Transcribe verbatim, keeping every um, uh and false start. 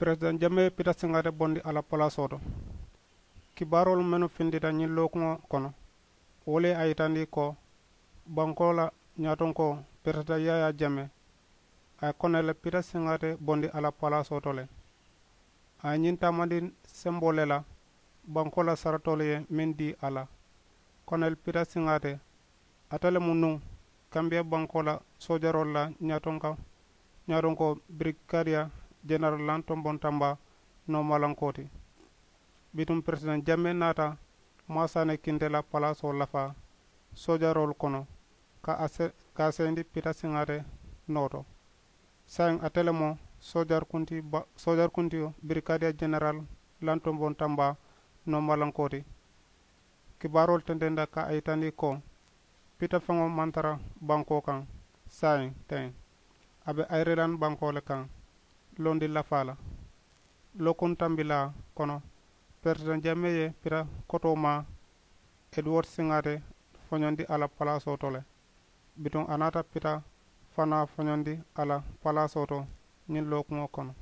Peresidaŋ jamee pita siŋaate bondi a la palaasoo to. Kibaaroolu mennu findita ñiŋ lookuŋo kono, wo le ye a yitandi ko bankoo la ñaatonkoo, peresidaŋ yaayaa jamee, a ye koneli pita siŋaate bondi a la palaasoo to le. A ye ñiŋ taamandi semboo le la bankoo la saratoolu ye meŋ dii a la. Koneli pita siŋaate, ate le mu nuŋ kambiya bankoo la soojaroolu la ñaatonka ñaatonko birikadiya jeneral lantombon tamba noomalankoo ti. Bituŋ peresidaŋ jamee naata maasaane kinte la palaasoo lafaa soojaroolu kono ka a se ka a seyindi pita siŋaate noo to. Saayiŋ ate le mu soojaari kunti ba soojaari kuntiyo birikadiya jeneral lantombon tamba noomalankoo ti. Kibaaroolu tententa ka a yitandi ko pita feŋo maŋ tara bankoo kaŋ. Saayiŋ teŋ a be ayirilaŋ bankoo le kaŋ londi lafaa la. Lookuŋ tambilaa kono peresidaŋ jamee ye pita kotoo maa eduward siŋaate foñondi a la palaasoo to le. Bituŋ a naata pita fanaa foñondi a la palaasoo to ñiŋ lookuŋo kono.